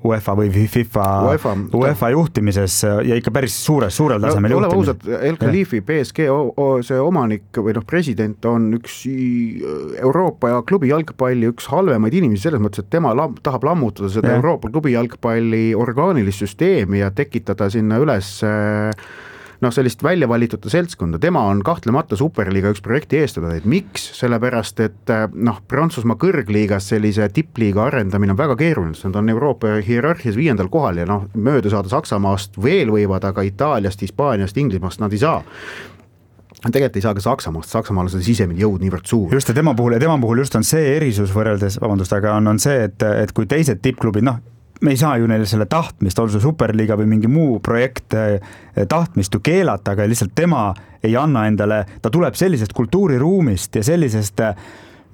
UEFA või FIFA, UEFA, UEFA juhtimises ja ikka päris suures, suurel tasemel no, juhtimises. El Khalifi P S G see omanik või noh, president on üks Euroopa ja klubi jalgpalli üks halvemaid inimesi selles mõttes, et tema lam, tahab lammutada seda ja. Euroopa klubi jalgpalli orgaanilist süsteemi ja tekitada sinna üles noh, sellist välja valitute seltskonda, tema on kahtlemata superliiga üks projekti eestadajaid. Miks? Sellepärast, et noh, Prantsusmaa kõrgliigas sellise tippliiga arendamine on väga keeruline, nad on Euroopa hierarhias viiendal kohal ja noh, mööda saada Saksamaast veel võivad, aga Itaaliast, Hispaaniast, Inglismaast nad ei saa. Tegelikult ei saa ka Saksamaast, Saksamaal on seda sisemine jõud niivõrd suur. Just ja tema puhul, ja tema puhul just on see erisus võrreldes, vabandust, aga on, on see, et, et kui teised tippklubid, noh, me ei saa ju neile selle tahtmist, olgu superliiga või mingi muu projekt tahtmist ju keelata, aga lihtsalt tema ei anna endale, ta tuleb sellisest kultuuriruumist ja sellisest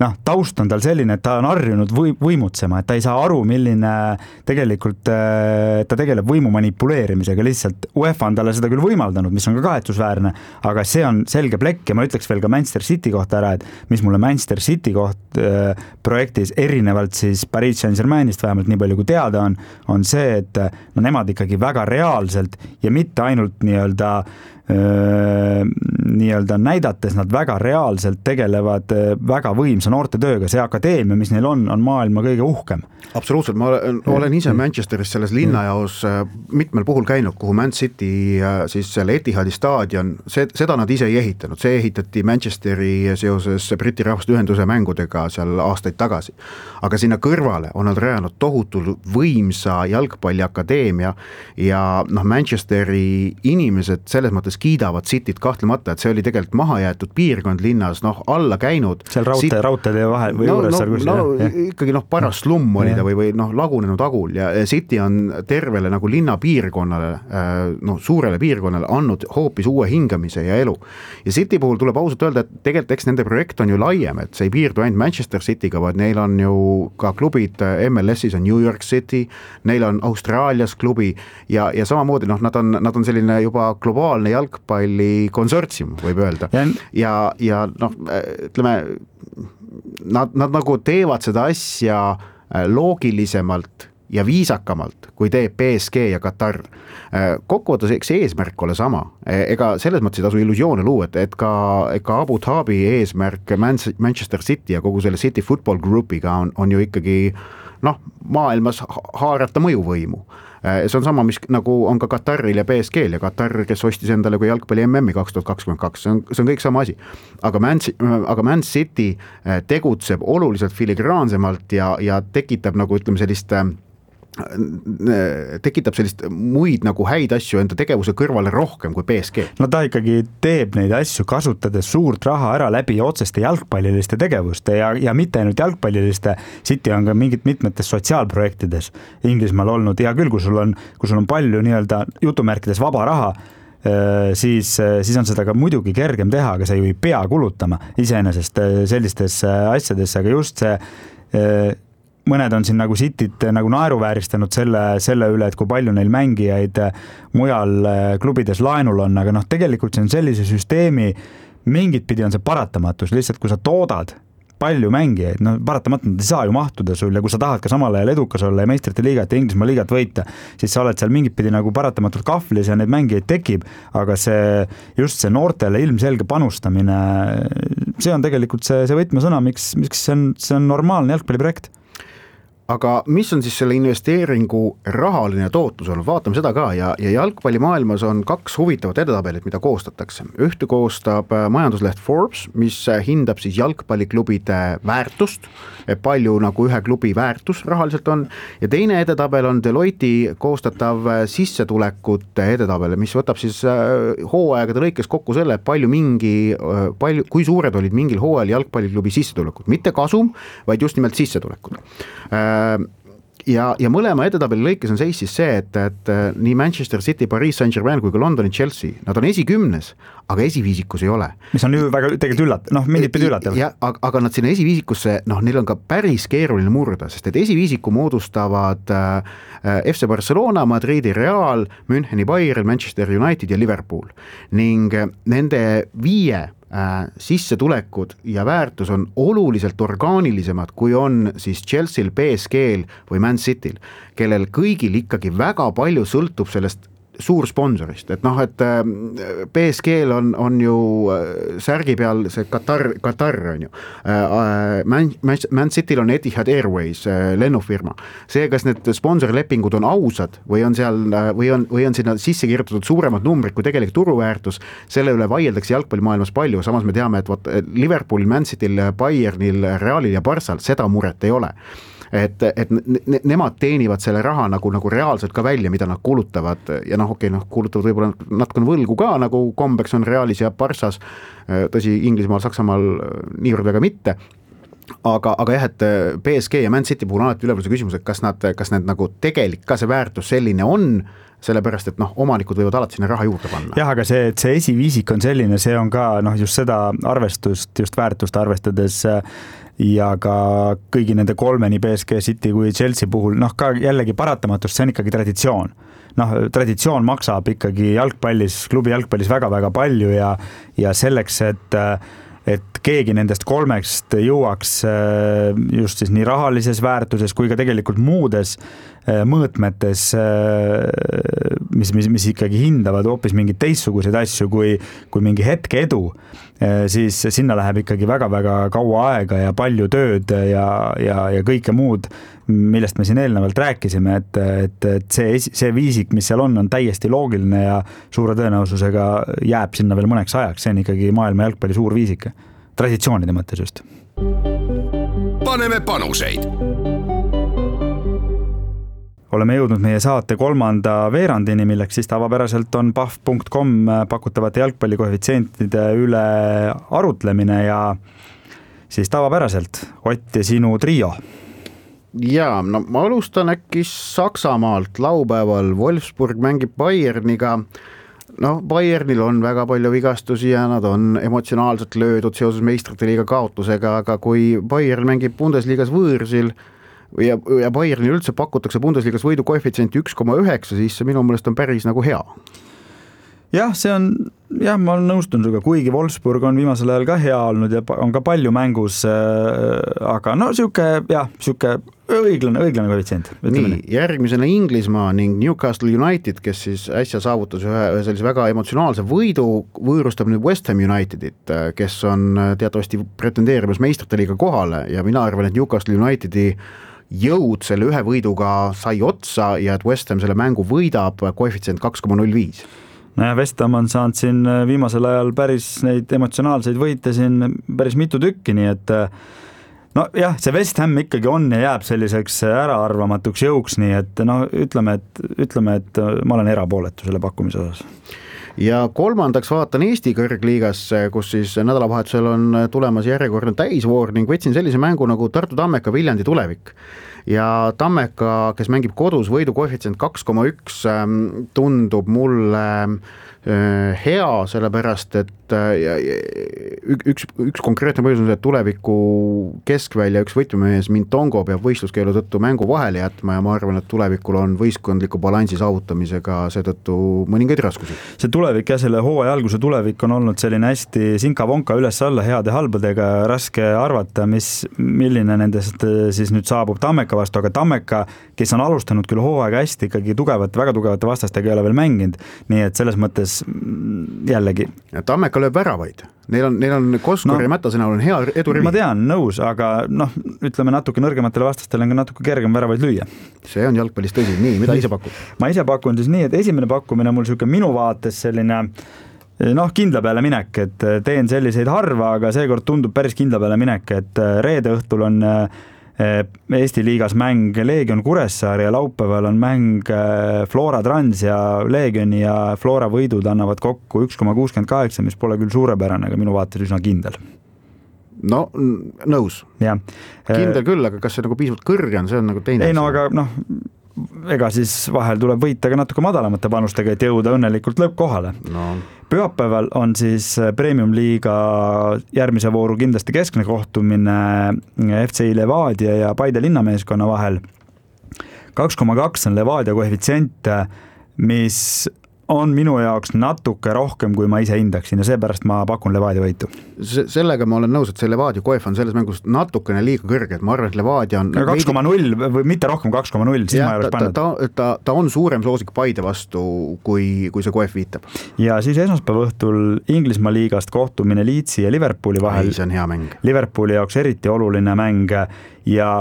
noh, taust on tal selline, et ta on harjunud või, võimutsema, et ta ei saa aru, milline tegelikult ta tegeleb võimu manipuleerimisega, lihtsalt UEFA on talle seda küll võimaldanud, mis on ka kahetsusväärne, aga see on selge plekk ja ma ütleks veel ka Manchester City kohta ära, et mis mulle Manchester City koht äh, projektis erinevalt siis Paris Saint-Germainist vähemalt nii palju kui teada on, on see, et no nemad ikkagi väga reaalselt ja mitte ainult nii-öelda Öö, nii-öelda näidates nad väga reaalselt tegelevad väga võimsa noortetööga, see akadeemia, mis neil on, on maailma kõige uhkem. Absoluutselt, ma olen, olen ise Manchesteris selles linnajaos mitmel puhul käinud, kuhu Man City siis selle Etihadi staadion, see, seda nad ise ei ehitanud, see ehitati Manchesteri seoses Briti Rahvaste Ühenduse mängudega seal aastaid tagasi. Aga sinna kõrvale on nad rajanud tohutul võimsa jalgpalliakadeemia ja noh, Manchesteri inimesed selles mõttes kiidavad Cityt kahtlemata, et see oli tegelikult mahajäetud piirkond linnas, noh alla käinud. Seal raudtee, Sit... raudteede vahel või no, juures no, seal kus, no, jah. Ikkagi noh, paras slumm oli ta või, või noh, lagunenud agul ja City on tervele nagu linna piirkonnale, noh, suurele piirkonnale andnud hoopis uue hingamise ja elu. Ja City puhul tuleb ausalt öelda, et tegelikult eks nende projekt on ju laiem, et see ei piirdu ainult Manchester Cityga, vaid neil on ju ka klubid M L S-is on New York City, neil on Austraalias klubi ja, ja samamoodi noh, nad on, nad on selline juba globaalne jalgpalli konsortsium, võib öelda. Ja, ja, ja noh, ütleme, nad, nad nagu teevad seda asja loogilisemalt ja viisakamalt, kui teeb P S G ja Katar. Kokkuvõttes eks eesmärk ole sama, ega selles mõttes ei tasu illusioone luua, et, et ka, ka Abu Dhabi eesmärk Manchester City ja kogu selle City Football Groupiga on, on ju ikkagi noh, maailmas haarata mõjuvõimu. See on sama, mis nagu on ka Kataril ja P S G-l ja Katar, kes ostis endale kui jalgpalli M M-i kaks tuhat kakskümmend kaks, see on, see on kõik sama asi. Aga Man, aga Man City tegutseb oluliselt filigraansemalt ja, ja tekitab nagu ütleme sellist tekitab sellist muid nagu häid asju enda tegevuse kõrvale rohkem kui P S G. No ta ikkagi teeb neid asju kasutades suurt raha ära läbi otseste jalgpalliliste tegevuste ja, ja mitte ainult jalgpalliliste. City on ka mingit mitmetes sotsiaalprojektides Inglismaal olnud ja küll, kui sul on, kui sul on palju nii-öelda jutumärkides vaba raha, siis, siis on seda ka muidugi kergem teha, aga sa ju ei pea kulutama iseenesest sellistes asjades, aga just see mõned on siin nagu Cityt nagu naeruvääristanud selle, selle üle, et kui palju neil mängijaid mujal klubides laenul on, aga noh, tegelikult see on sellise süsteemi, mingit pidi on see paratamatus, lihtsalt kui sa toodad palju mängijaid, no paratamatult ei saa ju mahtuda sul ja kui sa tahad ka samal ajal edukas olla ja meistrite liigat ja Inglismaa liigat võita, siis sa oled seal mingit pidi nagu paratamatult kahvlis ja neid mängijaid tekib, aga see, just see noortele ilmselge panustamine, see on tegelikult see, see võtmesõna, miks, miks see on, see on normaalne jalgpalliprojekt. Aga mis on siis selle investeeringu rahaline tootlus olnud, vaatame seda ka ja, ja jalgpallimaailmas on kaks huvitavat edetabelit, mida koostatakse. Ühte koostab majandusleht Forbes, mis hindab siis jalgpalliklubide väärtust, palju nagu ühe klubi väärtus rahaliselt on ja teine edetabel on Deloitte koostatav sissetulekute edetabel, mis võtab siis hooaegade lõikes kokku selle, palju mingi, palju, kui suured olid mingil hooajal jalgpalliklubi sissetulekud, mitte kasum, vaid just nimelt sissetulekud. Ja, ja mõlema edetabeli lõikes on seis siis see, et, et nii Manchester City, Paris Saint-Germain kui ka Londoni Chelsea, nad on esikümnes, aga esiviisikus ei ole. Mis on ju väga tegelikult üllat-, noh, mingit pidi üllatav. Ja, aga nad sinna esiviisikusse, noh, neil on ka päris keeruline murda, sest et esiviisiku moodustavad äh, F C Barcelona, Madridi Real, Müncheni Bayern, Manchester United ja Liverpool. Ning nende viie sissetulekud ja väärtus on oluliselt orgaanilisemad, kui on siis Chelsea'l, P S G-l või Man City'l, kellel kõigil ikkagi väga palju sõltub sellest suur sponsorist, et noh, et P S G-l on, on ju särgi peal see Katar, Katar on ju, Man, Man City'l on Etihad Airways lennufirma, see, kas need sponsorlepingud on ausad või on seal, või on, või on sinna sisse kirjutatud suuremad numbrid kui tegelik turuväärtus, selle üle vaieldakse jalgpallimaailmas palju, samas me teame, et võt, Liverpoolil, Man City'l, Bayernil, Realil ja Barçal seda muret ei ole. Et, et ne, nemad teenivad selle raha nagu, nagu reaalselt ka välja, mida nad kulutavad ja noh, okei, noh, kulutavad võib-olla natukene võlgu ka, nagu kombeks on Realis ja Barças, tõsi, Inglismaal, Saksamaal niivõrd väga mitte, aga, aga jah, et P S G ja Man City puhul on alati üleval see küsimus, et kas nad, kas need nagu tegelik ka see väärtus selline on, sellepärast, et noh, omanikud võivad alati sinna raha juurde panna. Jah, aga see, et see esiviisik on selline, see on ka noh, just seda arvestust, just väärtust arvestades ja ka kõigi nende kolme, nii P S G, City kui Chelsea puhul, noh ka jällegi paratamatust, see on ikkagi traditsioon. Noh, traditsioon maksab ikkagi jalgpallis, klubi jalgpallis väga-väga palju ja, ja selleks, et et keegi nendest kolmest jõuaks just siis nii rahalises väärtuses kui ka tegelikult muudes mõõtmetes, mis, mis, mis ikkagi hindavad hoopis mingeid teistsuguseid asju kui, kui mingi hetke edu, siis sinna läheb ikkagi väga-väga kaua aega ja palju tööd ja, ja, ja kõike muud, millest me siin eelnevalt rääkisime, et, et, et see, see viisik, mis seal on, on täiesti loogiline ja suure tõenäosusega jääb sinna veel mõneks ajaks, see on ikkagi maailma jalgpalli suur viisik, traditsioonide mõttes just. Paneme panuseid. Oleme jõudnud meie saate kolmanda veerandini, milleks siis tavapäraselt on pahv punkt com pakutavate jalgpallikoefitsientide üle arutlemine ja siis tavapäraselt Ott ja sinu trio. Jaa, no ma alustan äkki Saksamaalt. Laupäeval Wolfsburg mängib Bayerniga. No, Bayernil on väga palju vigastusi ja nad on emotsionaalselt löödud seoses meistrite liiga kaotusega, aga kui Bayern mängib Bundesliigas võõrsil ja, ja Bayernil üldse pakutakse Bundesliigas võidu koefitsienti üks koma üheksa, siis see minu meelest on päris nagu hea. Jah, see on, jah, ma olen nõustun suga, kuigi Wolfsburg on viimasel ajal ka hea olnud ja on ka palju mängus, aga no siuke, jah, siuke õiglane, õiglane koefitsient. Nii, järgmisena Inglismaa ning Newcastle United, kes siis äsja saavutas ühe, ühe sellise väga emotsionaalse võidu, võõrustab nüüd West Ham Unitedit, kes on teatavasti pretendeerimas meistrite liiga kohale ja mina arvan, et Newcastle Unitedi jõud selle ühe võiduga sai otsa ja et West Ham selle mängu võidab koefitsient kaks koma null viis. No ja West Ham on saanud siin viimasel ajal päris neid emotsionaalseid võite siin päris mitu tükki, nii et no jah, see West Ham ikkagi on ja jääb selliseks äraarvamatuks jõuks, nii et no ütleme, et, ütleme, et ma olen erapooletu selle pakkumise osas. Ja kolmandaks vaatan Eesti kõrgliigasse, kus siis nädalavahetusel on tulemas järjekordne täisvoor ning võtsin sellise mängu nagu Tartu Tammeka Viljandi tulevik. Ja Tammeka, kes mängib kodus võidu koefitsient kaks koma üks, tundub mulle hea, sellepärast, et üks, üks konkreetne põhjus on see, et tuleviku keskvälja üks võtmemees Mintongo peab võistluskeelu tõttu mängu vahele jätma ja ma arvan, et tulevikul on võistkondliku balansi saavutamisega seetõttu mõningaid raskusi. See tulevik ja selle hooaja alguse tulevik on olnud selline hästi sinka-vonka üles-alla heade halbadega, raske arvata, mis, milline nendest siis nüüd saabub Tammeka vastu, aga Tammeka, kes on alustanud küll hooaega hästi, ikkagi tugevat, väga tugevate vastastega ei ole veel mänginud, nii et selles mõttes jällegi. Tammeka lööb väravaid. Neil on, neil on Koskori no, ja Mätase näol on hea edurivi. Ma tean, nõus, aga noh, ütleme natuke nõrgematele vastastele on ka natuke kergem väravaid lüüa. See on jalgpallis tõsi. Nii, mida ise pakub? Ma ise pakun siis nii, et esimene pakkumine mul siuke minu vaates selline noh, kindla peale minek, et teen selliseid harva, aga seekord tundub päris kindla peale minek, et reede õhtul on Eesti liigas mäng Leegion Kuressaare ja laupäeval on mäng Flora Trans ja Leegioni ja Flora võidud annavad kokku üks koma kuuskümmend kaheksa, mis pole küll suurepärane, aga minu vaates üsna kindel. No, nõus. Ja. Kindel küll, aga kas see nagu piisavalt kõrge on, see on nagu teine. Ei no, aga noh, ega siis vahel tuleb võita ka natuke madalamate panustega, et jõuda õnnelikult lõppkohale. No. Pühapäeval on siis Premium liiga järgmise vooru kindlasti keskne kohtumine F C I Levadia ja Paide linnameeskonna vahel. kaks koma kaks on Levadia koefitsient, mis on minu jaoks natuke rohkem, kui ma ise hindaksin ja seepärast ma pakun Levadia võitu. Sellega ma olen nõus, et see Levadia koef on selles mängus natukene liiga kõrge, et ma arvan, et Levadia on kaks koma null või mitte rohkem kaks koma null, siis ja, ma ei oleks pannud. Ta, ta, ta, ta on suurem soosik Paide vastu, kui, kui see koef viitab. Ja siis esmaspäeva õhtul Inglismaa liigast kohtumine Leedsi ja Liverpooli vahel. Ei, see on hea mäng. Liverpooli jaoks eriti oluline mäng ja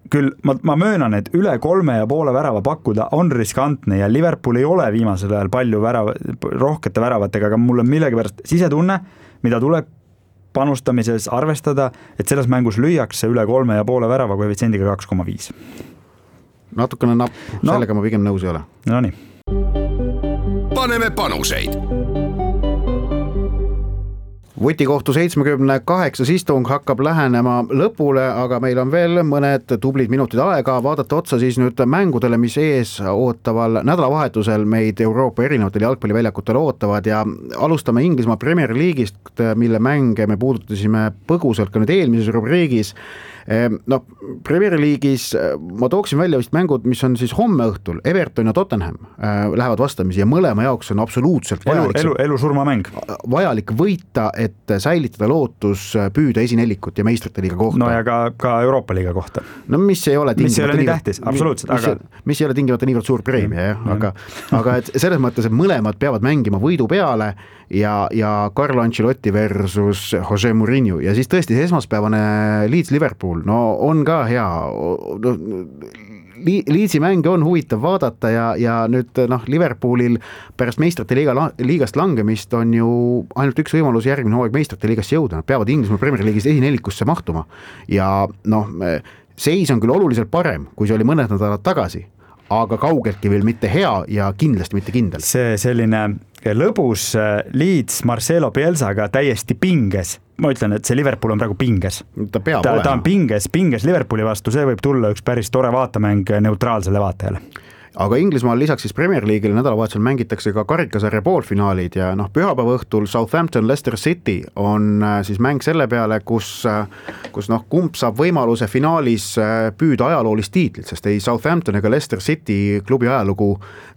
küll ma, ma möönan, et üle kolme ja poole värava pakkuda on riskantne ja Liverpool ei ole viimasel ajal palju värava, rohkete väravatega, aga mul on millegipärast sisetunne, mida tuleb panustamises arvestada, et selles mängus lüüakse üle kolme ja poole värava koefitsiendiga kaks koma viis. Natukene napp, no, sellega ma pigem nõus ei ole. No nii. Paneme panuseid. Vutikohtu seitsmekümne kaheksas istung hakkab lähenema lõpule, aga meil on veel mõned tublid minutid aega vaadata otsa siis nüüd mängudele, mis ees ootaval nädalavahetusel meid Euroopa erinevatel jalgpalliväljakutel ootavad ja alustame Inglismaa Premier League'ist, mille mänge me puudutasime põgusalt ka nüüd eelmises rubriigis. No, Premier League'is ma tooksin välja vist mängud, mis on siis homme õhtul, Everton ja Tottenham lähevad vastamisi ja mõlema jaoks on absoluutselt vajalik, elu, elu, elu surma mäng. Vajalik võita, et säilitada lootus püüda esinelikut ja meistrite liiga kohta. No ja ka, ka Euroopa liiga kohta. No mis ei ole mis ei ole nii tähtis, absoluutselt. Mis, aga... mis ei ole tingimata niivõrd suur preemia, jah, aga, aga et selles mõttes, et mõlemad peavad mängima võidu peale ja, ja Carlo Ancelotti versus Jose Mourinho ja siis tõesti see esmaspäevane Leeds Liverpool, no on ka hea, no, Leedsi mänge on huvitav vaadata ja, ja nüüd noh, Liverpoolil pärast meistrite liiga, liigast langemist on ju ainult üks võimalus järgmine hooaeg meistrite liigast jõuda, nad peavad Inglismaa Premier League'is esinelikusse mahtuma ja noh, seis on küll oluliselt parem, kui see oli mõned nädalad tagasi, aga kaugeltki veel mitte hea ja kindlasti mitte kindel. See selline lõbus Leeds Marcelo Bielsaga täiesti pinges. Ma ütlen, et see Liverpool on praegu pinges. Ta peab ta, olema. Ta on pinges, pinges Liverpooli vastu, see võib tulla üks päris tore vaatamäng neutraalsele vaatajale. Aga Inglismaal lisaks siis Premier League'ile nädalavahetusel mängitakse ka karikasarja poolfinaalid ja noh, pühapäeva õhtul Southampton Leicester City on siis mäng selle peale, kus, kus noh, kumb saab võimaluse finaalis püüda ajaloolist tiitlit, sest ei Southampton ega Leicester City klubi ajalugu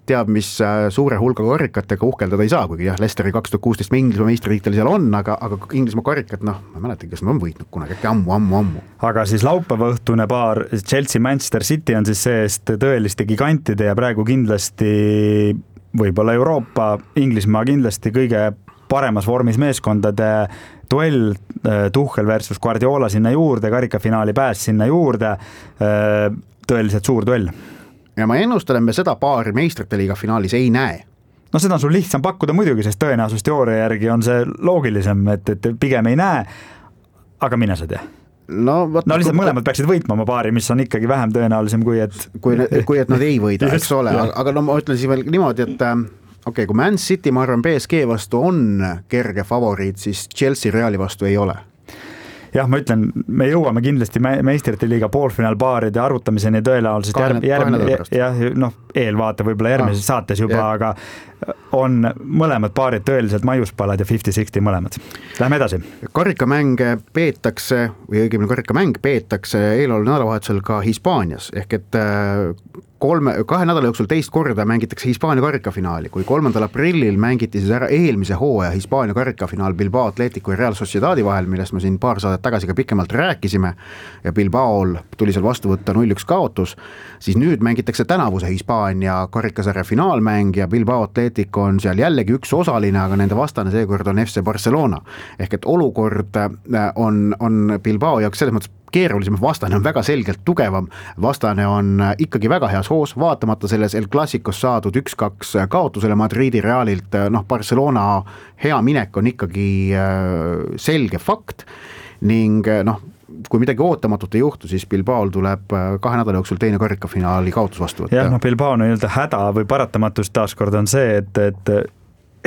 teab, mis suure hulga karikatega uhkeldada ei saa, kuigi jah, Leicesteri kaks tuhat kuusteist Inglismaa meistritiitel seal on, aga, aga Inglismaa karikat, noh, ma mäletan, kes nad on võitnud kunagi, äkki ammu, ammu, ammu. Aga siis laupäeva õhtune paar Chelsea Manchester City on siis seest tõeliste gigantide ja praegu kindlasti võib-olla Euroopa, Inglismaa kindlasti kõige paremas vormis meeskondade duell, Tuchel versus Guardiola sinna juurde, karikafinaali pääs sinna juurde, tõeliselt suur duell. Ja ma ennustan, me seda paari meistrite liiga finaalis ei näe. No seda on sul lihtsam pakkuda muidugi, sest tõenäosusteooria järgi on see loogilisem, et, et pigem ei näe, aga mine sa tea. No, võt, no lihtsalt mõlemad peaksid võitma oma paari, mis on ikkagi vähem tõenäolisem kui et kui, kui et nad ei võida, eks ole, aga no ma ütlen siis veel niimoodi, et okei, okay, kui Man City, ma arvan, B S G vastu on kerge favoriit, siis Chelsea Reali vastu ei ole. Jah, ma ütlen, me jõuame kindlasti meistrite liiga poolfinaalpaaride arvutamiseni tõenäoliselt kahne, järgmine, jah, noh, eelvaate võib-olla järgmises ah, saates juba, yeah. Aga on mõlemad paarid tõeliselt maiuspalad ja viiskümmend kuuskümmend mõlemad. Lähme edasi. Karikamänge peetakse, või õigemini karikamäng peetakse eeloleval nädalavahetusel ka Hispaanias, ehk et kolme, kahe nädala jooksul teist korda mängitakse Hispaania karikafinaali, kui kolmandal aprillil mängiti siis ära eelmise hooaja Hispaania karikafinaal Bilbao Atletico ja Real Sociedadi vahel, millest me siin paar saadet tagasi ka pikemalt rääkisime ja Bilbaol tuli seal vastu võtta null üks kaotus, siis nüüd mängitakse tänavuse Hispaania karikasarja finaalmäng ja Bilbao Atletico on seal jällegi üks osaline, aga nende vastane seekord on F C Barcelona. Ehk et olukord on, on Bilbao jaoks selles mõttes keerulisem, vastane on väga selgelt tugevam, vastane on ikkagi väga heas hoos, vaatamata selles El Clasicos saadud üks kaks kaotusele Madridi Realilt, noh Barcelona hea minek on ikkagi selge fakt ning noh, kui midagi ootamatut ei juhtu, siis Bilbaol tuleb kahe nädala jooksul teine karikafinaali kaotus vastu võtta. Jah, noh Bilbao on nii-öelda häda või paratamatus taaskord on see, et, et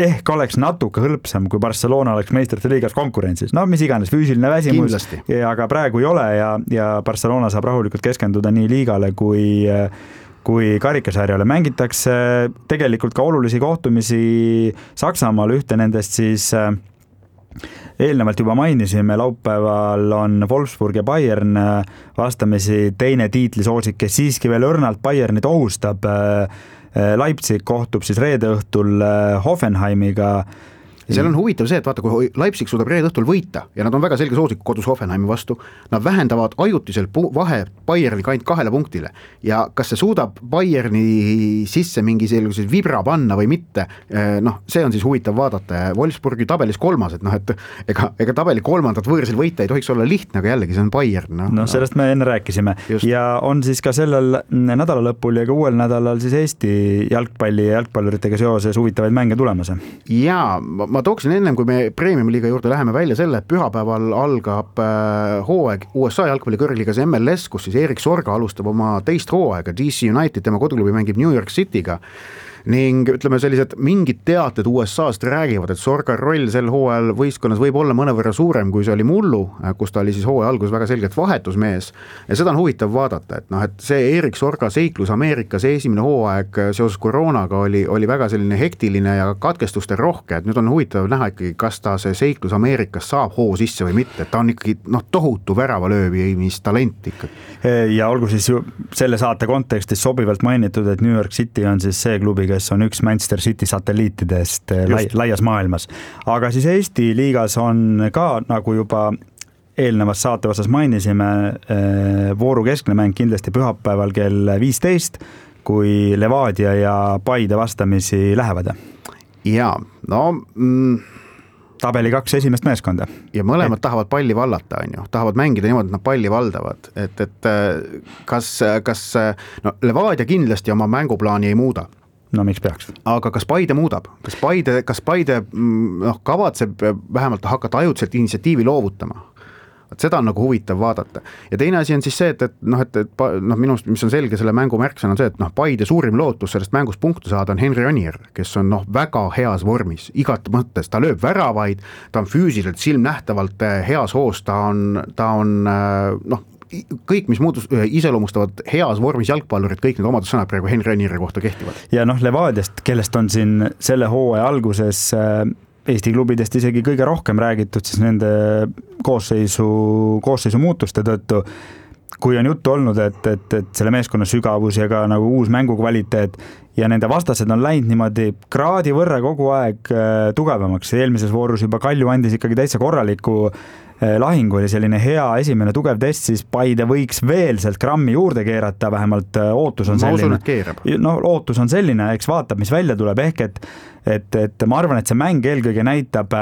ehk oleks natuke hõlpsam, kui Barcelona oleks meistrite liigas konkurentsis. No mis iganes, füüsiline väsimus, aga praegu ei ole ja, ja Barcelona saab rahulikult keskenduda nii liigale kui, kui karikasarjale. Mängitakse tegelikult ka olulisi kohtumisi Saksamaal, ühte nendest siis eelnevalt juba mainisime, laupäeval on Wolfsburg ja Bayern vastamisi teine tiitlisoosik, kes siiski veel õrnalt Bayernit ohustab. Leipzig kohtub siis reede õhtul Hoffenheimiga. Ja seal on huvitav see, et vaata, kui Leipzig suudab reede õhtul võita ja nad on väga selge soosik kodus Hoffenheimi vastu, nad vähendavad ajutiselt vahe Bayerni ainult kahele punktile ja kas see suudab Bayerni sisse mingi sellised vibra panna või mitte, noh, see on siis huvitav vaadata. Wolfsburgi tabelis kolmas, et noh, et ega, ega tabeli kolmandat võõrsil võita ei tohiks olla lihtne, aga jällegi see on Bayern. No, no sellest me enne rääkisime. Just. Ja on siis ka sellel nädala lõpul ja ka uuel nädalal siis Eesti jalgpalli ja jalgpalluritega seoses huvitavaid mänge tulemas. Jaa, ma tooksin ennem, kui me Premium-liiga juurde läheme välja selle, et pühapäeval algab hooaeg U S A jalgpalli kõrgliigas M L S, kus siis Erik Sorga alustab oma teist hooaega, D C United, tema koduklubi mängib New York City'ga ning ütleme sellised mingid teated U S A-st räägivad, et Sorga roll sel hooajal võistkonnas võib olla mõnevõrra suurem, kui see oli mullu, kus ta oli siis hooaja algus väga selgelt vahetusmees ja seda on huvitav vaadata, et noh, et see Erik Sorga seiklus Ameerikas esimene hooaeg seoses koroonaga oli, oli väga selline hektiline ja katkestuste rohke, et nüüd on huvitav näha ikkagi, kas ta see seiklus Ameerikas saab hoo sisse või mitte, et ta on ikkagi noh, tohutu väravalöövi, mis talent ikkagi. Ja olgu siis ju selle saate kontekstis sobivalt mainitud, et New York City on siis see klubi, kes on üks Manchester City satelliitidest lai, laias maailmas. Aga siis Eesti liigas on ka, nagu juba eelnevas saate osas mainisime, vooru keskne mäng kindlasti pühapäeval kell viisteist, kui Levadia ja Paide vastamisi lähevad. Jaa, no... Mm... tabeli kaks esimest meeskonda. Ja mõlemad et... tahavad palli vallata, on ju. Tahavad mängida niimoodi, et nad palli valdavad. Et, et kas, kas no, Levadia kindlasti oma mänguplaani ei muuda. No miks peaks? Aga kas Paide muudab? Kas Paide, kas Paide no, kavatseb vähemalt hakata ajutselt initsiatiivi loovutama? Seda on nagu huvitav vaadata. Ja teine asi on siis see, et, et, noh, et, et noh, minust, mis on selge selle mängu märksõna on see, et noh, Paide suurim lootus sellest mängust punktu saada on Henri Anier, kes on noh, väga heas vormis, igat mõttes, ta lööb väravaid, ta on füüsiliselt silmnähtavalt heas hoos, ta on, ta on noh, kõik, mis muudus, iseloomustavad heas vormis jalgpallurid, kõik need omadussõnad praegu Henri Anieri kohta kehtivad. Ja noh, Levadiast, kellest on siin selle hooaja alguses Eesti klubidest isegi kõige rohkem räägitud siis nende koosseisu, koosseisu muutuste tõttu, kui on juttu olnud, et, et, et selle meeskonna sügavus ja ka nagu uus mängukvaliteet ja nende vastased on läinud niimoodi kraadi võrra kogu aeg tugevamaks. Eelmises voorus juba Kalju andis ikkagi täitsa korraliku lahingu, oli selline hea esimene tugev test, siis Paide võiks veel sealt grammi juurde keerata, vähemalt ootus on selline. No, ootus on selline, eks vaatab, mis välja tuleb, ehk et, et, et ma arvan, et see mäng eelkõige näitab,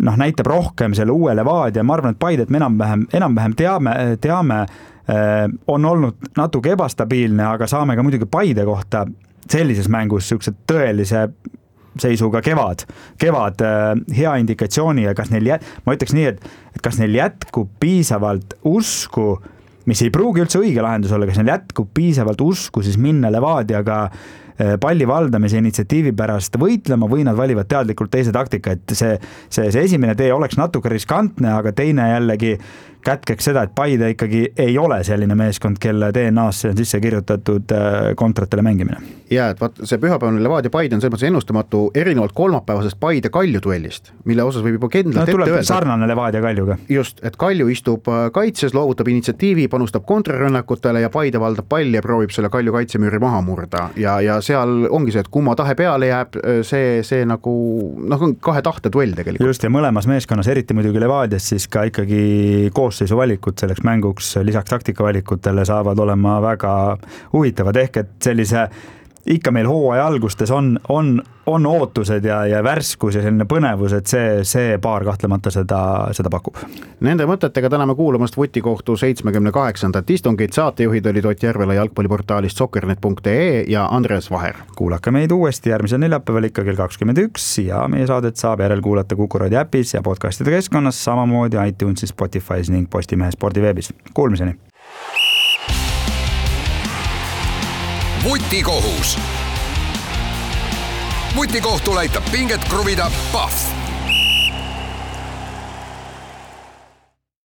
noh, näitab rohkem selle uue Levadia, ma arvan, et Paidet me enam-vähem, enam-vähem teame, teame, on olnud natuke ebastabiilne, aga saame ka muidugi Paide kohta sellises mängus siuksed tõelise seisuga kevad, kevad hea indikatsiooni ja kas neil jät-, ma ütleks nii, et, et kas neil jätkub piisavalt usku, mis ei pruugi üldse õige lahendus olla, kas neil jätkub piisavalt usku siis minna Levadiaga palli valdamise initsiatiivi pärast võitlema või nad valivad teadlikult teise taktika, et see, see, see esimene tee oleks natuke riskantne, aga teine jällegi kätkeks seda, et Paide ikkagi ei ole selline meeskond, kelle D N A-sse on sisse kirjutatud kontratele mängimine. Ja, et vaat, see pühapäevane Levadia Paide on selles mõttes ennustamatu erinevalt kolmapäevasest Paide Kalju duellist, mille osas võib juba kindlalt no, ette öelda. Sarnane Levadia Kaljuga. Just, et Kalju istub kaitses, loovutab initsiatiivi, panustab kontrarünnakutele ja Paide valdab palli ja proovib selle Kalju kaitsemüüri maha murda. Ja, ja seal ongi see, et kumma tahe peale jääb, see, see nagu noh, on kahe tahte duell tegelikult. Just, ja mõlemas meeskonnas, eriti muidugi Levadias, siis ka ikkagi koosseisu valikud selleks mänguks lisaks taktikavalikutele saavad olema väga huvitavad, ehk et sellise ikka meil hooaja algustes on, on, on ootused ja, ja värskus ja selline põnevus, et see, see paar kahtlemata seda, seda pakub. Nende mõtetega täname kuulamast Vutikohtu seitsmekümne kaheksandat istungit. Saatejuhid olid Ott Järvela jalgpalliportaalist soccernet punkt ee ja Andres Vaher. Kuulake meid uuesti järgmisel neljapäeval ikka kell kakskümmend üks ja meie saadet saab järel kuulata Kuku Raadio äpis ja podcastide keskkonnas, samamoodi iTunesis, Spotify's ning Postimehe spordiveebis. Kuulmiseni! Vutikohus. Vutikohtul aitab pinget kruvida Pahv.